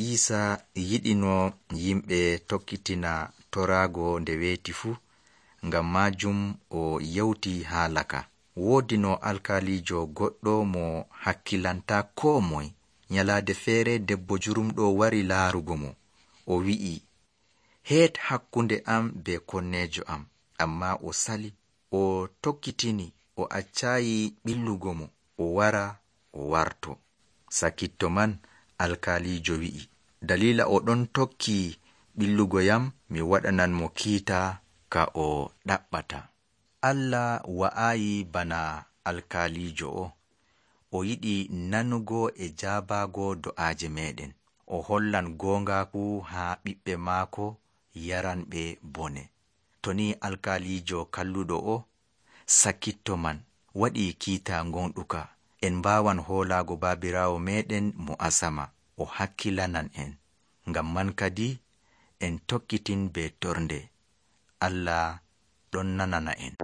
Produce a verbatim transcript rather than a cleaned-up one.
Iisa yiɗino yimɓe tokkitina toraago nde weeti fuu, ngam maajum o yewti haala ka. Woodi no alkaalijo goɗɗo mo hakkilanta koo moye. Nyalaade feere debbo jurumɗo wari laarugo mo. O wi'i, heet hakkunde am be konneejo am, ammaa o sali. O tokkitini, o accaayi ɓillugo mo, o wara o warto. Sakitto man alkaalijo wi'i, dalila o ɗon tokki ɓillugo yam, mi waɗanan mo kiita ka o ɗaɓɓata. Allah wa'aayi bana alkaalijo o. O yiɗi nanugo e jaabaago do'aaje meɗen. O hollan goongaaku haa ɓiɓɓe maako yaranɓe bone. To ni alkaalijo kalluɗo o, sakitto man waɗi kiita gonɗuka. En mbaawan hoolaago baabiraawo meɗen mo asama. O hakkilanan en. Ngam man kadi en tokkitin be tornde. Allah ɗon nanana en.